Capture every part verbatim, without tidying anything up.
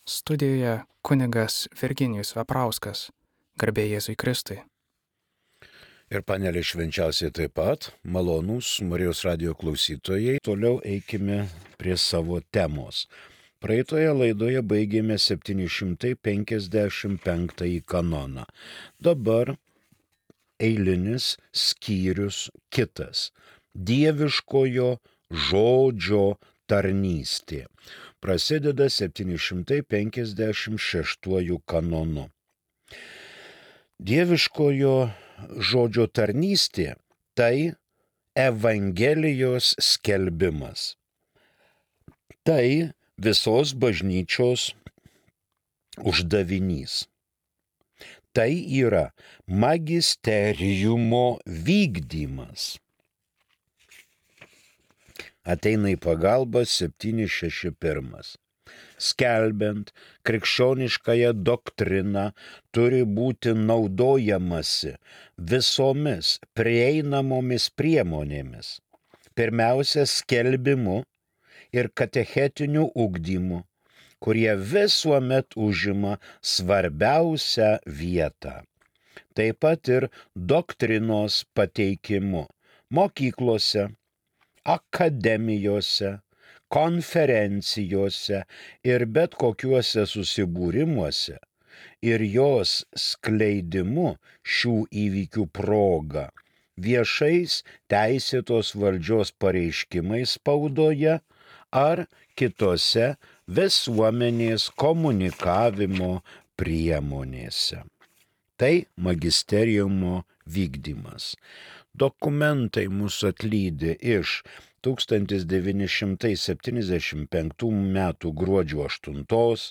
Studijoje kunigas Virginijus Veprauskas. Garbė Jėzui Kristui. Ir panelė švenčiausiai taip pat, malonūs Marijos radijo klausytojai, toliau eikime prie savo temos. Praeitoje laidoje baigėme septyni šimtai penkiasdešimt penktąjį kanoną. Dabar eilinis skyrius kitas - dieviškojo žodžio tarnystė. Prasideda septyni šimtai penkiasdešimt šeštuoju kanonu. Dieviškojo žodžio tarnystė – tai Evangelijos skelbimas. Tai visos bažnyčios uždavinys. Tai yra magisteriumo vykdymas. Ateina į pagalbą septyni šeši pirmas. Skelbiant krikščioniškąją doktriną turi būti naudojamasi visomis prieinamomis priemonėmis. Pirmiausia, skelbimu ir katechetiniu ugdymu, kurie visuomet užima svarbiausią vietą. Taip pat ir doktrinos pateikimu mokyklose, akademijose, konferencijose ir bet kokiuose susibūrimuose ir jos skleidimu šių įvykių proga, viešais teisėtos valdžios pareiškimais spaudoje ar kitose visuomenės komunikavimo priemonėse. Tai magisteriumo vykdymas. Dokumentai mūsų atlydi iš tūkstantis devyni šimtai septyniasdešimt penktų metų gruodžio aštuntos,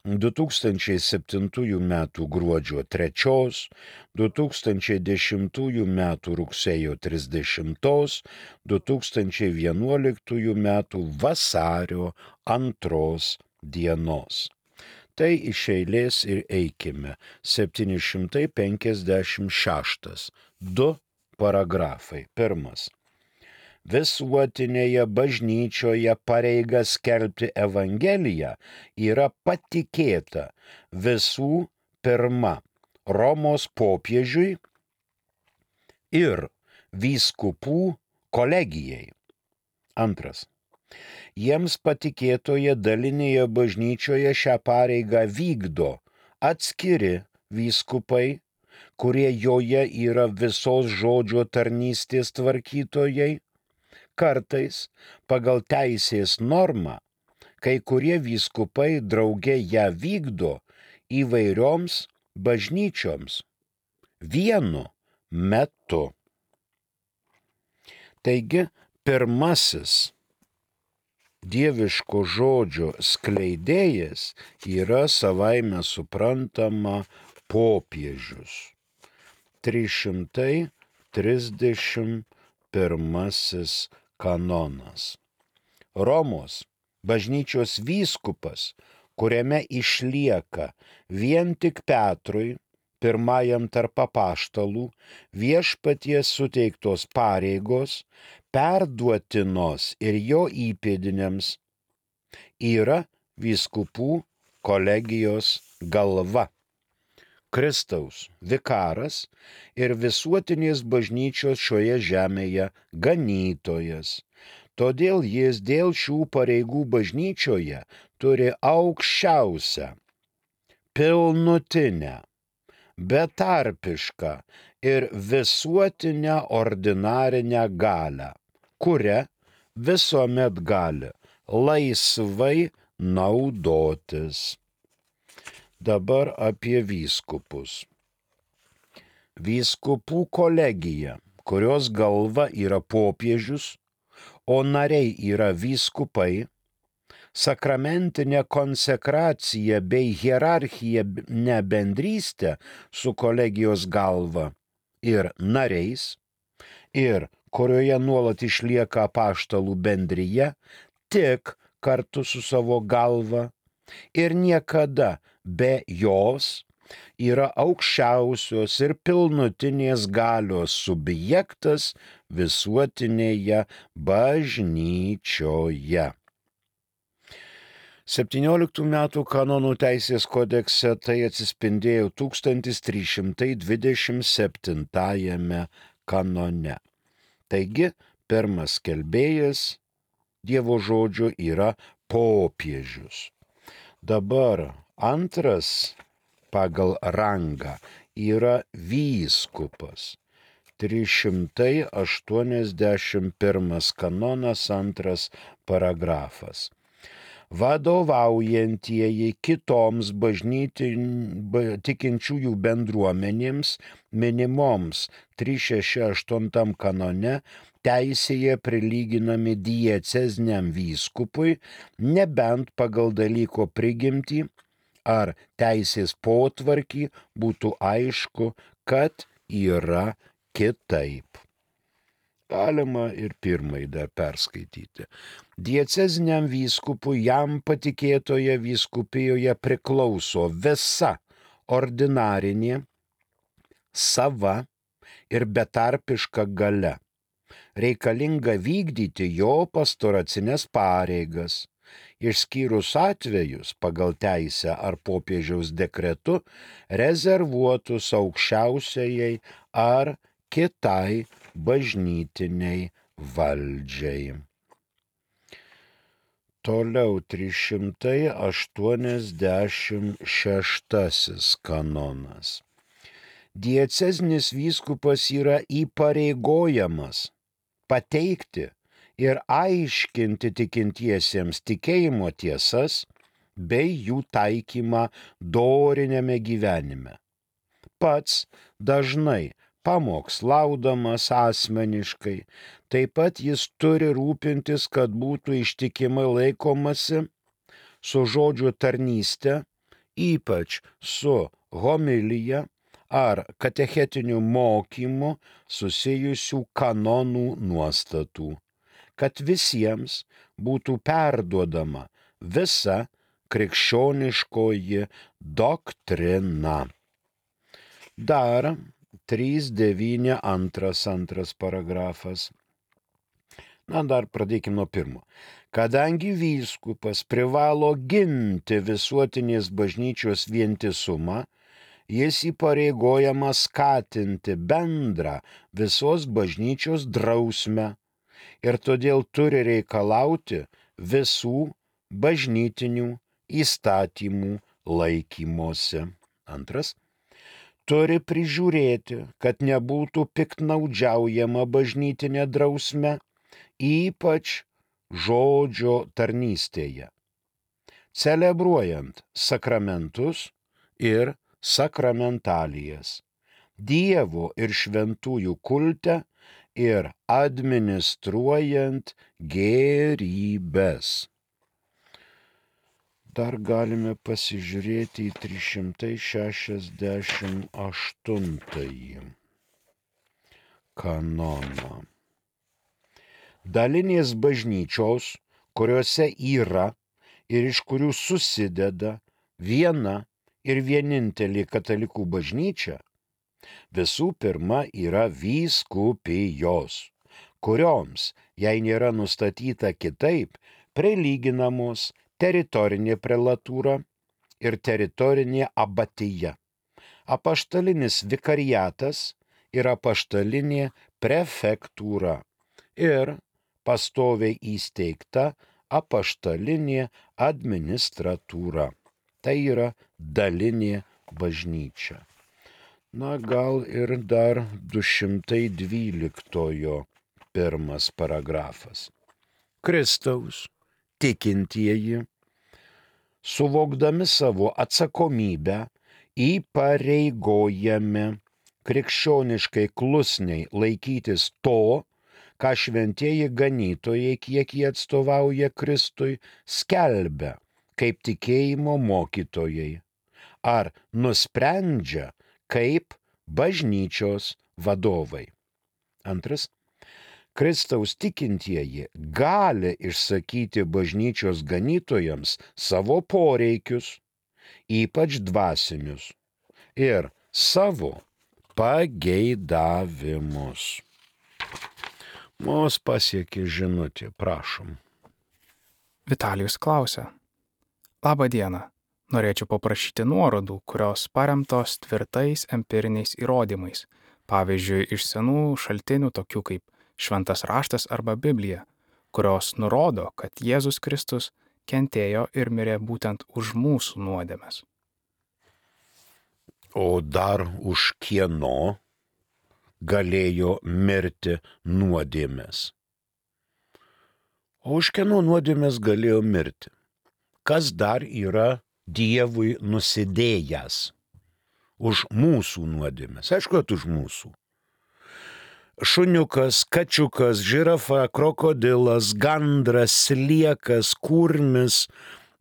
du tūkstančiai septintųjų metų gruodžio trečios, du tūkstančiai dešimtųjų metų rugsėjo trisdešimtos, du tūkstančiai vienuoliktųjų metų vasario antros dienos. Tai iš eilės ir eikime. septyni šimtai penkiasdešimt šeštas. Du paragrafai. Pirmas. Visuotinėje bažnyčioje pareiga skelbti Evangeliją yra patikėta visų pirma Romos popiežiui ir vyskupų kolegijai. Antras. Jiems patikėtoje dalinėje bažnyčioje šią pareigą vykdo atskiri vyskupai, kurie joje yra visos žodžio tarnystės tvarkytojai. Kartais pagal teisės normą kai kurie vyskupai drauge ją vykdo įvairioms bažnyčioms vienu metu. Taigi, pirmasis dieviško žodžio skleidėjas yra savaime suprantama popiežius. trys šimtai trisdešimt pirmasis kanonas. Romos bažnyčios vyskupas, kuriame išlieka vien tik Petrui, pirmajam tarp apaštalų, viešpaties suteiktos pareigos, perduotinos ir jo įpėdiniams, yra vyskupų kolegijos galva. Kristaus vikaras ir visuotinės bažnyčios šioje žemėje ganytojas. Todėl jis dėl šių pareigų bažnyčioje turi aukščiausią, pilnutinę, betarpišką ir visuotinę ordinarinę galią, kuria visuomet gali laisvai naudotis. Dabar apie vyskupus. Vyskupų kolegija, kurios galva yra popiežius, o nariai yra vyskupai, sakramentinė konsekracija bei hierarchinė bendrystė su kolegijos galva ir nariais, ir kurioje nuolat išlieka apaštalų bendrija, tik kartu su savo galva ir niekada be jos, yra aukščiausios ir pilnutinės galios subjektas visuotinėje bažnyčioje. septynioliktų metų kanonų teisės kodekse tai atsispindėjo tūkstantis trys šimtai dvidešimt septintajame kanone. Taigi, pirmas skelbėjas Dievo žodžio yra popiežius. Dabar antras pagal rangą yra vyskupas. trys šimtai aštuoniasdešimt pirmas kanonas, antras paragrafas. Vadovaujantieji kitoms bažnytin tikinčiųjų bendruomenėms minimoms trys šeši aštuoni kanone teisėje prilyginami dieceziniam vyskupui, nebent pagal dalyko prigimtį ar teisės potvarkį būtų aišku, kad yra kitaip. Galima ir pirmai dar perskaityti. Dieceziniam vyskupui jam patikėtoje vyskupijoje priklauso visa ordinarinė, sava ir betarpiška galia, reikalinga vykdyti jo pastoracinės pareigas, išskyrus atvejus pagal teisę ar popiežiaus dekretu rezervuotus aukščiausiajai ar kitai bažnytiniai valdžiai. Toliau trys šimtai aštuoniasdešimt šeštasis kanonas. Diecezinis vyskupas yra įpareigojamas pateikti ir aiškinti tikintiesiems tikėjimo tiesas bei jų taikymą doriniame gyvenime. Pats dažnai pamokslaudamas asmeniškai, taip pat jis turi rūpintis, kad būtų ištikimai laikomasi su žodžio tarnyste, ypač su homilija ar katechetiniu mokymu susijusių kanonų nuostatų, kad visiems būtų perduodama visa krikščioniškoji doktrina. Dar trys devyni antras antras paragrafas. Na, dar pradėkime nuo pirmo. Kadangi vyskupas privalo ginti visuotinės bažnyčios vientisumą, jis įpareigojamas skatinti bendrą visos bažnyčios drausmę ir todėl turi reikalauti visų bažnytinių įstatymų laikymosi. Antras. Turi prižiūrėti, kad nebūtų piktnaudžiaujama bažnytinė drausme, ypač žodžio tarnystėje, celebruojant sakramentus ir sakramentalijas, Dievo ir šventųjų kulte ir administruojant gėrybes. Dar galime pasižiūrėti į trys šimtai šešiasdešimt aštuntąjį kanoną. Dalinės bažnyčios, kuriuose yra ir iš kurių susideda viena ir vienintelė katalikų bažnyčia, visų pirma yra vyskupijos, kurioms, jei nėra nustatyta kitaip, prilyginamos teritorinė prelatūra ir teritorinė abatija, apaštalinis vikariatas ir apaštalinė prefektūra ir pastoviai įsteigta apaštalinė administratūra. Tai yra dalinė bažnyčia. Na, gal ir dar du šimtai dvyliktojo pirmas paragrafas. Kristaus tikintieji, suvokdami savo atsakomybę, įpareigojami krikščioniškai klusniai laikytis to, ką šventieji ganytojai, kiek jie atstovauja Kristui, skelbia kaip tikėjimo mokytojai, ar nusprendžia kaip bažnyčios vadovai. Antras. Kristaus tikintieji gali išsakyti bažnyčios ganytojams savo poreikius, ypač dvasinius, ir savo pageidavimus. Mus pasiekė žinutė, prašom. Vitalijus klausia, Labą dieną. Norėčiau paprašyti nuorodų, kurios paremtos tvirtais empiriniais įrodymais, pavyzdžiui, iš senų šaltinių tokių kaip Šventas raštas arba Biblija, kurios nurodo, kad Jėzus Kristus kentėjo ir mirė būtent už mūsų nuodėmes. O dar už kieno galėjo mirti nuodėmės? O už kieno nuodėmės galėjo mirti? Kas dar yra Dievui nusidėjęs už mūsų nuodėmės? Aišku, kad už mūsų. Šuniukas, kačiukas, žirafa, krokodilas, gandras, sliekas, kurmis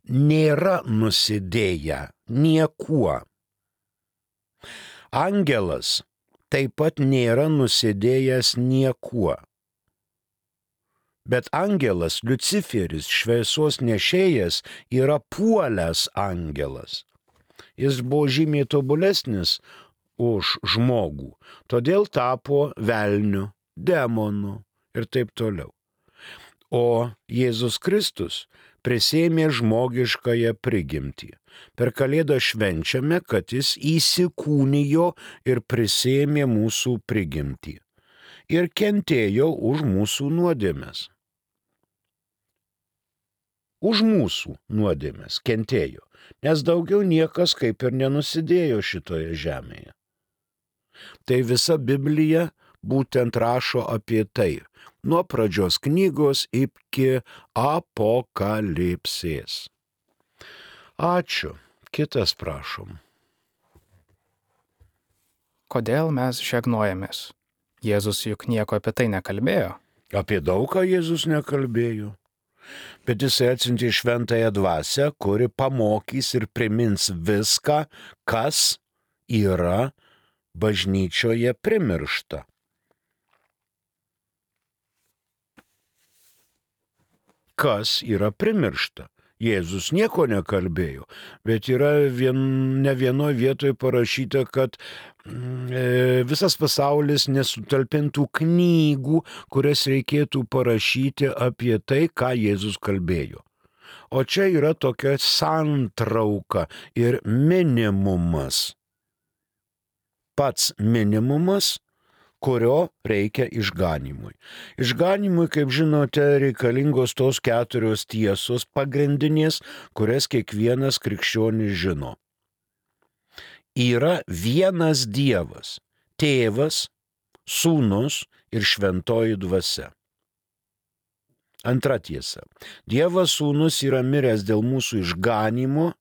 nėra nusidėję niekuo. Angelas taip pat nėra nusidėjęs niekuo. Bet angelas, Liuciferis, šviesos nešėjas, yra puolęs angelas. Jis buvo žymiai tobulesnis už žmogų, todėl tapo velniu, demonu ir taip toliau. O Jėzus Kristus prisėmė žmogiškąją prigimtį. Per Kalėdą švenčiame, kad jis įsikūnijo ir prisėmė mūsų prigimtį. Ir kentėjo už mūsų nuodėmes. Už mūsų nuodėmes kentėjo, nes daugiau niekas kaip ir nenusidėjo šitoje žemėje. Tai visa Biblija būtent rašo apie tai, nuo pradžios knygos iki apokalipsės. Ačiū. Kitas prašom. Kodėl mes žegnojamės? Jėzus juk nieko apie tai nekalbėjo. Apie daug ką Jėzus nekalbėjo. Bet jisai atsiuntė šventąją dvasią, kuri pamokys ir primins viską, kas yra bažnyčioje primiršta. Kas yra primiršta? Jėzus nieko nekalbėjo, bet yra vien, ne vienoje vietoje parašyta, kad e, visas pasaulis nesutalpintų knygų, kurias reikėtų parašyti apie tai, ką Jėzus kalbėjo. O čia yra tokia santrauka ir minimumas. Pats minimumas, kurio reikia išganymui. Išganymui, kaip žinote, reikalingos tos keturios tiesos pagrindinės, kurias kiekvienas krikščionis žino. Yra vienas Dievas, Tėvas, Sūnus ir Šventoji Dvasia. Antra tiesa. Dievas Sūnus yra miręs dėl mūsų išganymo.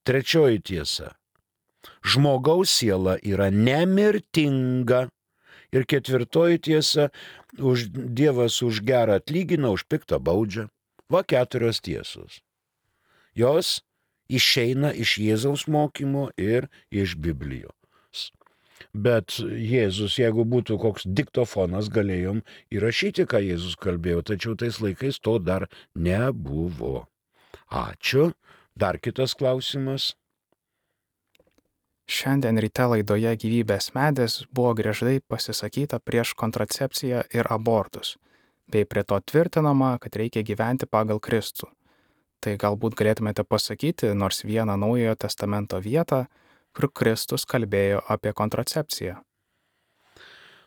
Trečioji tiesa. Žmogaus siela yra nemirtinga. Ir ketvirtoji tiesa, už Dievas už gerą atlygina, už piktą baudžia. Va keturios tiesos. Jos išeina iš Jėzaus mokymo ir iš Biblijos. Bet Jėzus, jeigu būtų koks diktofonas, galėjom įrašyti, ką Jėzus kalbėjo, tačiau tais laikais to dar nebuvo. Ačiū. Dar kitas klausimas. Šiandien ryte laidoje Gyvybės medis buvo griežtai pasisakyta prieš kontracepciją ir abortus, bei prie to tvirtinama, kad reikia gyventi pagal Kristų. Tai galbūt galėtumėte pasakyti nors vieną Naujojo testamento vietą, kur Kristus kalbėjo apie kontracepciją.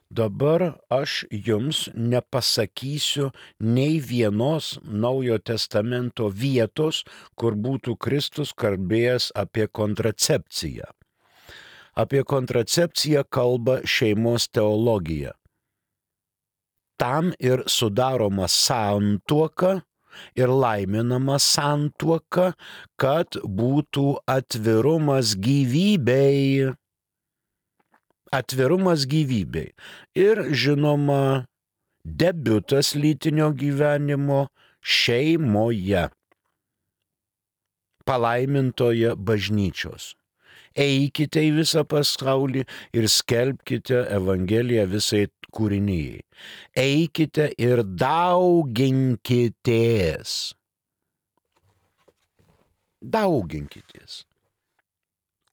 Dabar aš jums nepasakysiu nei vienos Naujojo testamento vietos, kur būtų Kristus kalbėjęs apie kontracepciją. Apie kontracepciją kalba šeimos teologija. Tam ir sudaroma santuoka ir laiminama santuoka, kad būtų atvirumas gyvybei. Atvirumas gyvybei. Ir žinoma, debiutas lytinio gyvenimo šeimoje. Palaimintoje bažnyčios. Eikite į visą pasaulį ir skelbkite Evangeliją visai kūrinijai. Eikite ir dauginkitės. Dauginkitės.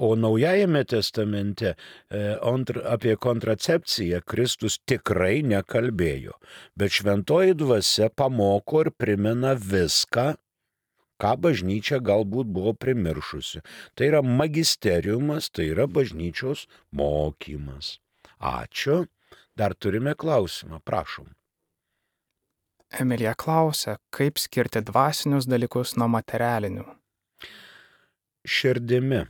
O Naujajame testamente apie kontracepciją Kristus tikrai nekalbėjo, bet Šventoji Dvasia pamoko ir primena viską, ką bažnyčia galbūt buvo primiršusi. Tai yra magisteriumas, tai yra bažnyčios mokymas. Ačiū. Dar turime klausimą, prašom. Emilija klausia, kaip skirti dvasinius dalykus nuo materialinių. Širdimi.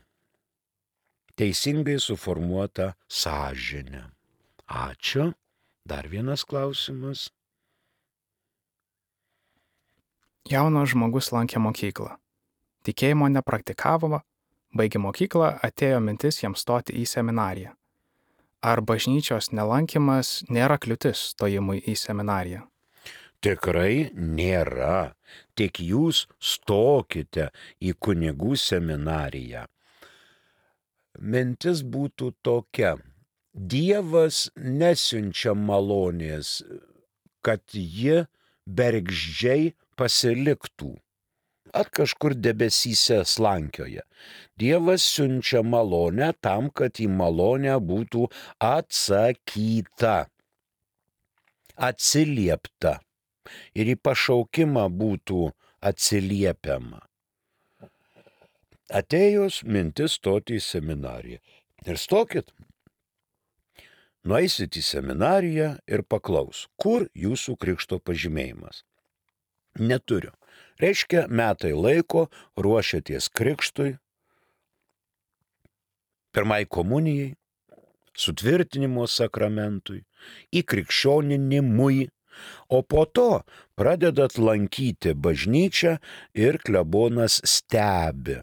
Teisingai suformuota sąžinė. Ačiū. Dar vienas klausimas. Jaunas žmogus lankė mokyklą. Tikėjimo nepraktikavo, baigė mokyklą, atėjo mintis jam stoti į seminariją. Ar bažnyčios nelankymas nėra kliūtis stojimui į seminariją? Tikrai nėra. Tik jūs stokite į kunigų seminariją. Mintis būtų tokia. Dievas nesiunčia malonės, kad ji bergždžiai pasiliktų. At kažkur debesyse slankioja. Dievas siunčia malonę tam, kad į malonę būtų atsakyta, atsiliepta ir į pašaukimą būtų atsiliepiama. Atėjus mintis stoti į seminariją. Ir stokit. Nueisit į seminariją ir paklaus, kur jūsų krikšto pažymėjimas. Neturiu. Reiškia, metai laiko ruošiaties krikštui, pirmai komunijai, sutvirtinimo sakramentui, įkrikščioninimui, o po to pradedat lankyti bažnyčią ir klebonas stebi.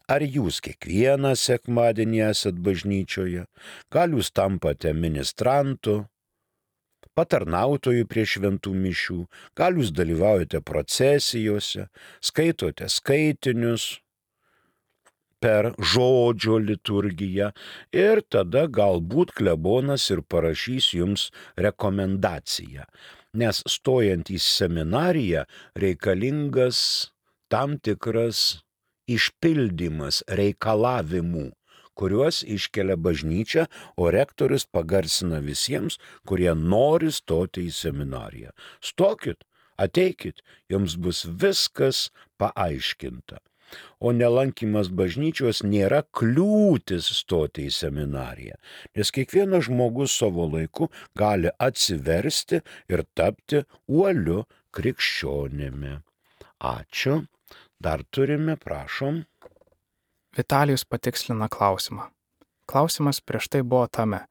Ar jūs kiekvieną sekmadienį esat bažnyčioje, gal jūs tampate ministrantu, patarnautojų prie šventų mišių, gal jūs dalyvaujate procesijose, skaitote skaitinius per žodžio liturgiją ir tada galbūt klebonas ir parašys jums rekomendaciją, nes stojant į seminariją reikalingas tam tikras išpildymas reikalavimų, kuriuos iškelia bažnyčia, o rektorius pagarsina visiems, kurie nori stoti į seminariją. Stokit, ateikit, jums bus viskas paaiškinta. O nelankymas bažnyčios nėra kliūtis stoti į seminariją, nes kiekvienas žmogus savo laiku gali atsiversti ir tapti uoliu krikščionimi. Ačiū. Dar turime, prašom. Vitalijus patikslina klausimą. Klausimas prieš tai buvo tame,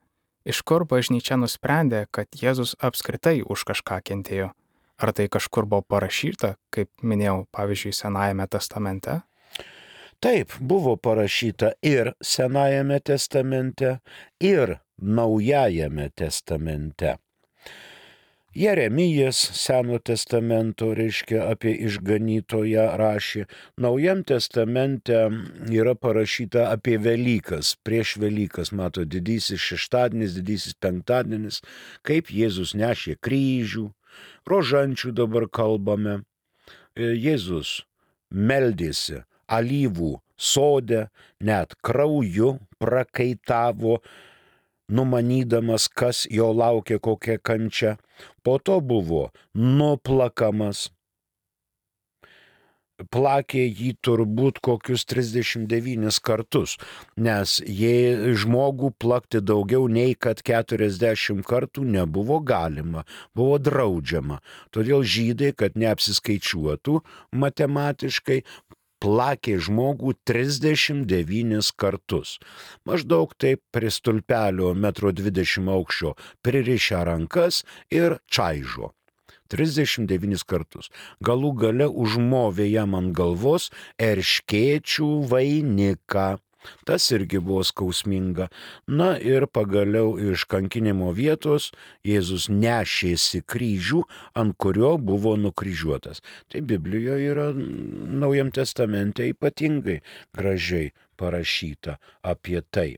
iš kur bažnyčia nusprendė, kad Jėzus apskritai už kažką kentėjo. Ar tai kažkur buvo parašyta, kaip minėjau, pavyzdžiui, Senajame testamente? Taip, buvo parašyta ir Senajame testamente, ir Naujajame testamente. Jeremijas Seno testamento, reiškia, apie išganytoją rašė. Naujam testamente yra parašyta apie Velykas, prieš Velykas, mato, didysis šeštadienis, didysis penktadienis, kaip Jėzus nešė kryžių, rožančių dabar kalbame. Jėzus meldėsi alyvų sode, net krauju prakaitavo, numanydamas, kas jo laukia, kokia kančia. Po to buvo nuplakamas. Plakė jį turbūt kokius trisdešimt devynis kartus, nes jei žmogų plakti daugiau nei kad keturiasdešimt kartų nebuvo galima, buvo draudžiama. Todėl žydai, kad neapsiskaičiuotų matematiškai, plakė žmogų trisdešimt devynis kartus. Maždaug taip prie stulpelio metro dvidešimt aukščio pririšę rankas ir čaižo. trisdešimt devynis kartus. Galų gale užmovė jam ant galvos erškėčių vainiką. Tas irgi buvo skausminga. Na ir pagaliau iš kankinimo vietos Jėzus nešėsi kryžių, ant kurio buvo nukryžiuotas. Tai Biblijoje yra Naujam testamente ypatingai gražiai parašyta apie tai.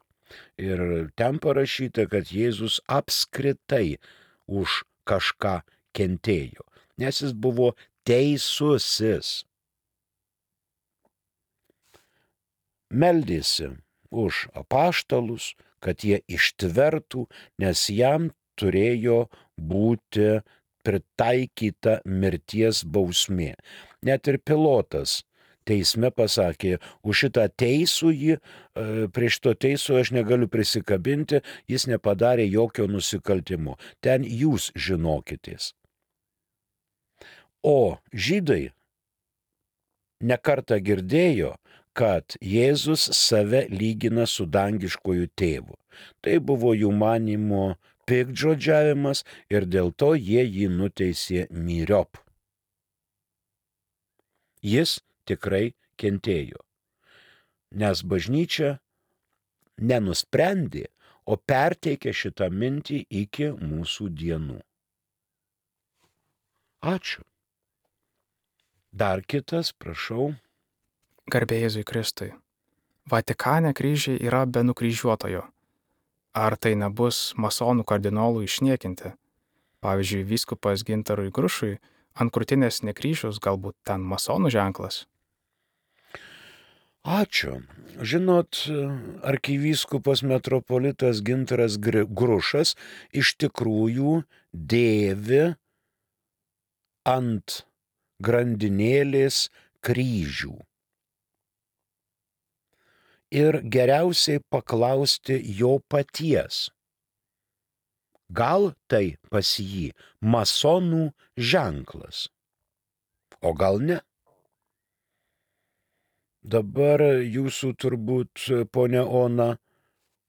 Ir ten parašyta, kad Jėzus apskritai už kažką kentėjo, nes jis buvo teisusis. Meldėsi už apaštalus, kad jie ištvertų, nes jam turėjo būti pritaikyta mirties bausmė. Net ir Pilotas teisme pasakė, už šitą teisųjį, prie šito teisų aš negaliu prisikabinti, jis nepadarė jokio nusikaltimo. Ten jūs žinokitės. O žydai nekartą girdėjo, kad Jėzus save lygina su dangiškoju tėvu. Tai buvo jų manymo piktžodžiavimas ir dėl to jie jį nuteisė myriop. Jis tikrai kentėjo, nes bažnyčia nenusprendė, o perteikė šitą mintį iki mūsų dienų. Ačiū. Dar kitas, prašau. Garbė Jėzui Kristui. Vatikane kryžiai yra be nukryžiuotojo. Ar tai nebus masonų kardinolų išniekinti? Pavyzdžiui, vyskupas Gintarui Grušui ant krūtinės ne kryžius, galbūt ten masonų ženklas? Ačiū. Žinot, arkivyskupas metropolitas Gintaras Grušas iš tikrųjų dėvi ant grandinėlės kryžių. Ir geriausiai paklausti jo paties. Gal tai pas jį masonų ženklas, o gal ne? Dabar jūsų turbūt, ponia Ona,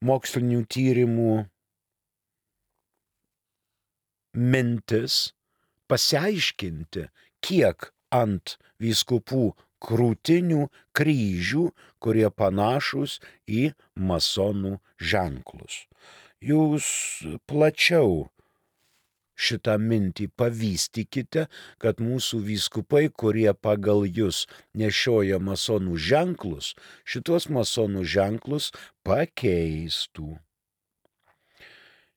mokslinių tyrimų mintis pasiaiškinti, kiek ant vyskupų krūtinių kryžių, kurie panašus į masonų ženklus. Jūs plačiau šitą mintį pavystykite, kad mūsų vyskupai, kurie pagal jūs nešioja masonų ženklus, šitos masonų ženklus pakeistų.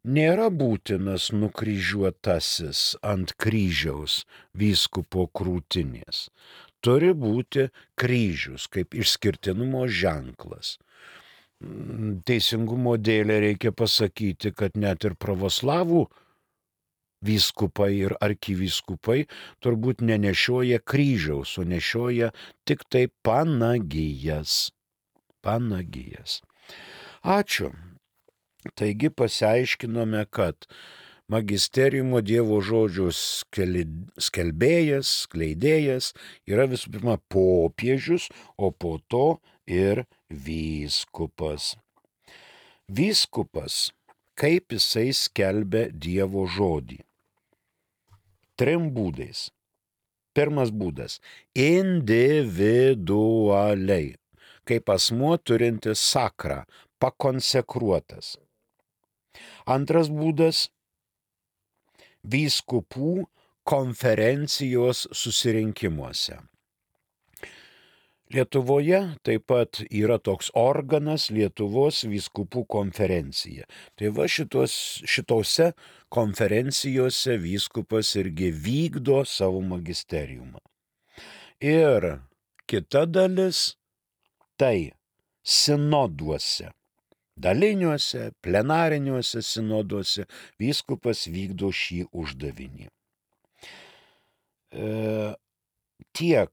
Nėra būtinas nukryžiuotasis ant kryžiaus vyskupo krūtinės. Turi būti kryžius kaip išskirtinumo ženklas. Teisingumo dėlė reikia pasakyti, kad net ir pravoslavų vyskupai ir arkivyskupai turbūt nenešioja kryžiaus, o nešioja tik tai panagijas. Panagijas. Ačiū. Taigi pasiaiškinome, kad magisteriumo Dievo žodžio skelbėjas, skleidėjas yra visų pirma popiežius, o po to ir vyskupas. Vyskupas, kaip jisai skelbia Dievo žodį? Trim būdais. Pirmas būdas – individualiai, kaip asmuo turintis sakrą, pakonsekruotas. Antras būdas – vyskupų konferencijos susirinkimuose. Lietuvoje taip pat yra toks organas Lietuvos vyskupų konferencija. Tai va šitos, šitose konferencijose vyskupas irgi vykdo savo magisteriumą. Ir kita dalis tai sinoduose, daliniuose, plenariniuose sinoduose vyskupas vykdo šį uždavinį. E, tiek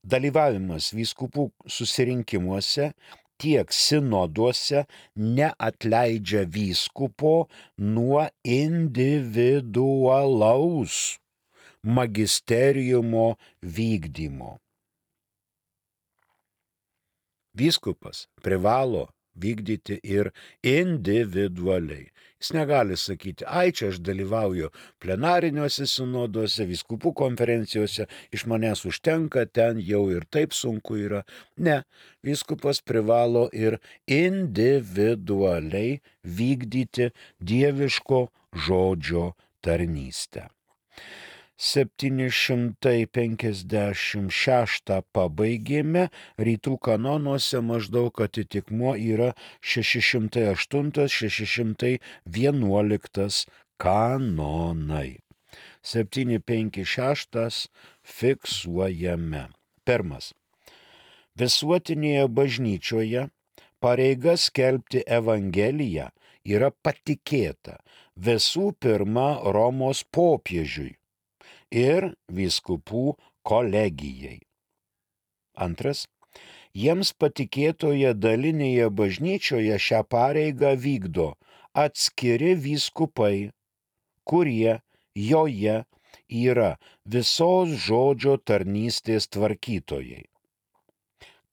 dalyvavimas vyskupų susirinkimuose, tiek sinoduose neatleidžia vyskupo nuo individualaus magisteriumo vykdymo. Vyskupas privalo vykdyti ir individualiai. Jis negali sakyti, ai čia aš dalyvauju plenariniuose sinoduose, vyskupų konferencijose, iš manęs užtenka, ten jau ir taip sunku yra. Ne, vyskupas privalo ir individualiai vykdyti dieviško žodžio tarnystę. septyni šimtai penkiasdešimt šeštą pabaigėme, rytų kanonuose maždaug atitikmuo yra šeši šimtai aštuntas šeši šimtai vienuoliktas kanonai. septyni penki šeštas fiksuojame. Pirmas. Visuotinėje bažnyčioje pareiga skelbti Evangeliją yra patikėta visų pirma Romos popiežiui ir vyskupų kolegijai. Antras, jiems patikėtoje dalinėje bažnyčioje šią pareigą vykdo atskiri vyskupai, kurie joje yra visos žodžio tarnystės tvarkytojai.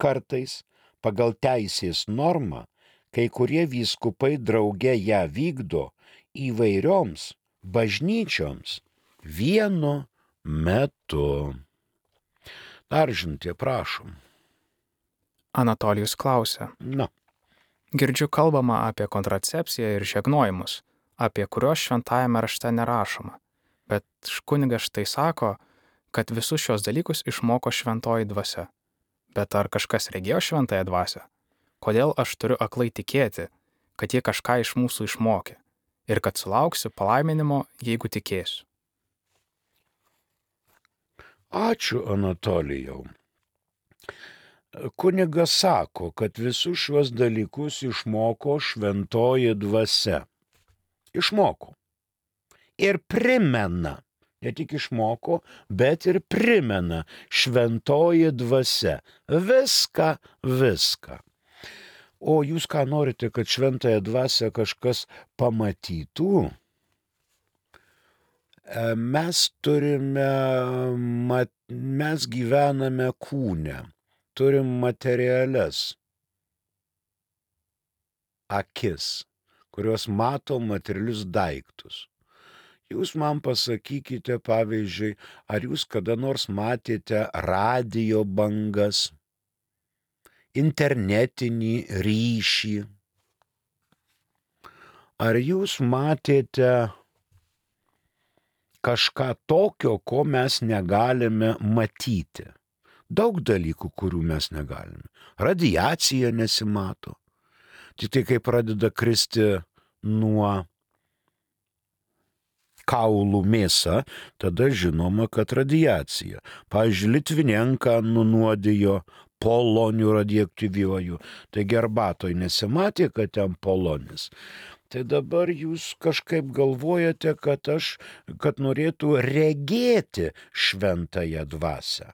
Kartais pagal teisės normą kai kurie vyskupai drauge ją vykdo įvairioms bažnyčioms vienu metu. Daržintė, prašom. Anatolijus klausia. Na. Girdžiu kalbama apie kontracepciją ir žegnojimus, apie kuriuos šventajame rašte nerašoma. Bet kunigas štai sako, kad visus šios dalykus išmoko šventoji dvasia. Bet ar kažkas regėjo šventąją dvasią? Kodėl aš turiu aklai tikėti, kad jie kažką iš mūsų išmokė ir kad sulauksiu palaiminimo, jeigu tikėsiu? Ačiū, Anatolijau. Kunigas sako, kad visus šiuos dalykus išmoko šventoji dvasia. Išmoko. Ir primena, ne tik išmoko, bet ir primena šventoji dvasia. Viską, viską. O jūs ką norite, kad šventąją dvasią kažkas pamatytų? Mes turime, mes gyvename kūne, turim materialias akis, kurios mato materialius daiktus. Jūs man pasakykite, pavyzdžiui, ar jūs kada nors matėte radijo bangas, internetinį ryšį? Ar jūs matėte kažką tokio, ko mes negalime matyti? Daug dalykų, kurių mes negalime. Radiacija nesimato. Tik tai, kai pradeda kristi nuo kaulų mėsa, tada žinoma, kad radiacija. Pavyzdžiui, Litvinenką nunuodijo poloniu radioaktyviuoju. Taigi arbatoj nesimatė, kad ten polonis. Tai dabar jūs kažkaip galvojate, kad aš, kad norėtų regėti šventąją dvasią.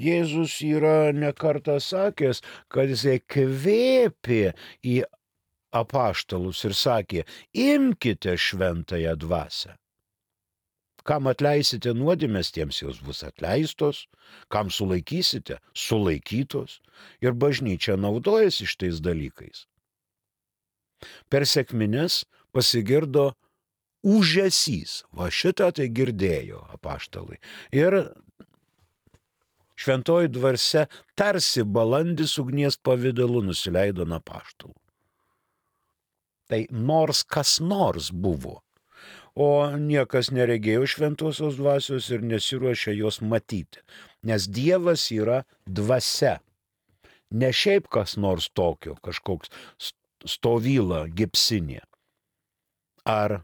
Jėzus yra ne kartą sakęs, kad jisai kvėpė į apaštalus ir sakė, imkite šventąją dvasią. Kam atleisite nuodėmes, tiems jos bus atleistos, kam sulaikysite, sulaikytos. Ir bažnyčia naudojasi šitais dalykais. Per sekmines pasigirdo ūžesys. Va šitą tai girdėjo apaštalai. Ir šventoji dvasia tarsi balandis ugnies pavidalu nusileido nuo apaštalų. Tai nors kas nors buvo, o niekas neregėjo šventosios dvasios ir nesiruošia jos matyti, nes Dievas yra dvasia. Ne šiaip kas nors tokio, kažkoks stovyla gipsinė. Ar,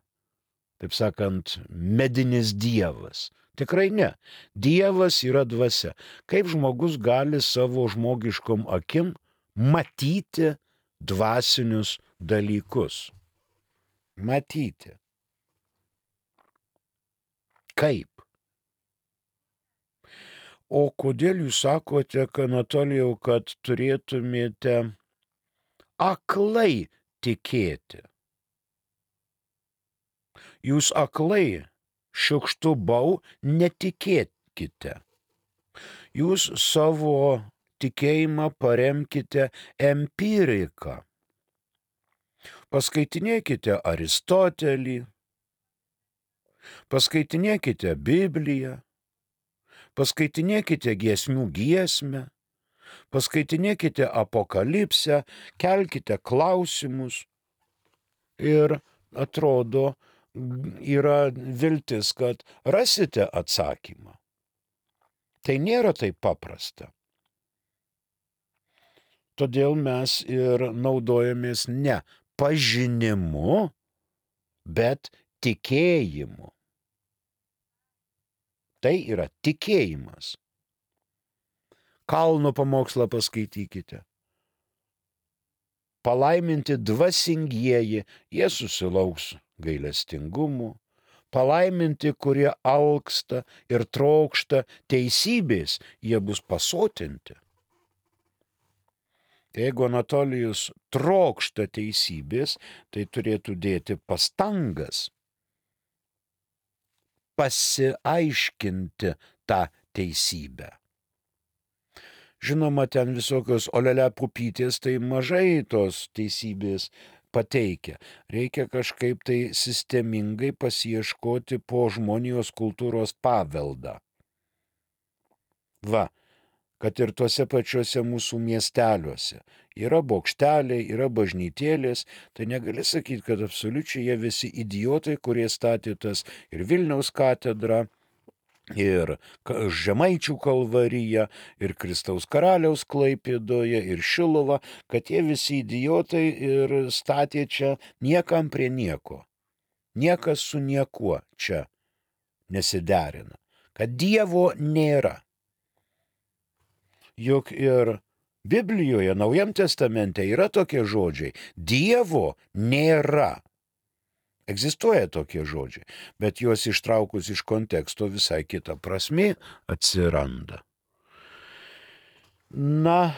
taip sakant, medinis dievas. Tikrai ne. Dievas yra dvasia. Kaip žmogus gali savo žmogiškom akim matyti dvasinius dalykus? Matyti. Kaip? O kodėl jūs sakote, Anatolijau, kad turėtumėte aklai tikėti? Jūs aklai šiukštu bau netikėkite. Jūs savo tikėjimą paremkite empiriką. Paskaitinėkite Aristotelį, paskaitinėkite Bibliją, paskaitinėkite giesmių giesmę, paskaitinėkite Apokalipsę, kelkite klausimus ir atrodo, yra viltis, kad rasite atsakymą. Tai nėra taip paprasta. Todėl mes ir naudojamės ne pažinimu, bet tikėjimu. Tai yra tikėjimas. Kalno pamokslą paskaitykite. Palaiminti dvasingieji, jie susilauks gailestingumo. Palaiminti, kurie alksta ir trokšta teisybės, jie bus pasotinti. Jeigu Anatolijus trokšta teisybės, tai turėtų dėti pastangas pasiaiškinti tą teisybę. Žinoma, ten visokios olele pupytės, tai mažai tos teisybės pateikia. Reikia kažkaip tai sistemingai pasiieškoti po žmonijos kultūros paveldą. Va, kad ir tuose pačiuose mūsų miesteliuose yra bokšteliai, yra bažnytėlės, tai negali sakyti, kad absoliučiai jie visi idiotai, kurie statė tas ir Vilniaus katedrą, ir Žemaičių kalvariją, ir Kristaus karaliaus Klaipėdoje, ir Šiluvą, kad jie visi idiotai ir statė čia niekam prie nieko. Niekas su niekuo čia nesiderina. Kad Dievo nėra. Juk ir Biblijoje, Naujam testamente yra tokie žodžiai. Dievo nėra. Egzistuoja tokie žodžiai, bet juos ištraukus iš konteksto visai kita prasmė atsiranda. Na,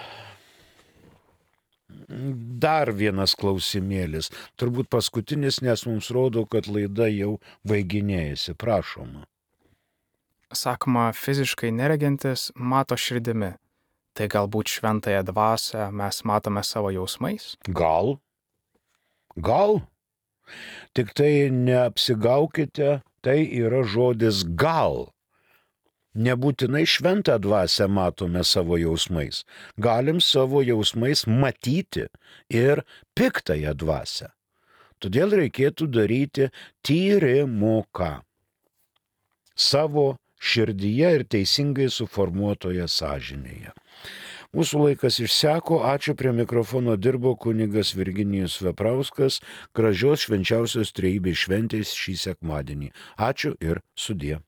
dar vienas klausimėlis, turbūt paskutinis, nes mums rodo, kad laida jau baiginėjasi. Prašoma. Sakoma, fiziškai neregintis mato širdimi. Tai galbūt šventąją dvasią mes matome savo jausmais? Gal? Gal? Tik tai neapsigaukite, tai yra žodis gal. Nebūtinai šventą dvasią matome savo jausmais. Galim savo jausmais matyti ir piktąją dvasią. Todėl reikėtų daryti tyrimuką savo širdyje ir teisingai suformuotoje sąžinėje. Mūsų laikas išseko, ačiū, prie mikrofono dirbo kunigas Virginijus Veprauskas, gražios švenčiausios trejybės šventės šį sekmadienį. Ačiū ir sudie.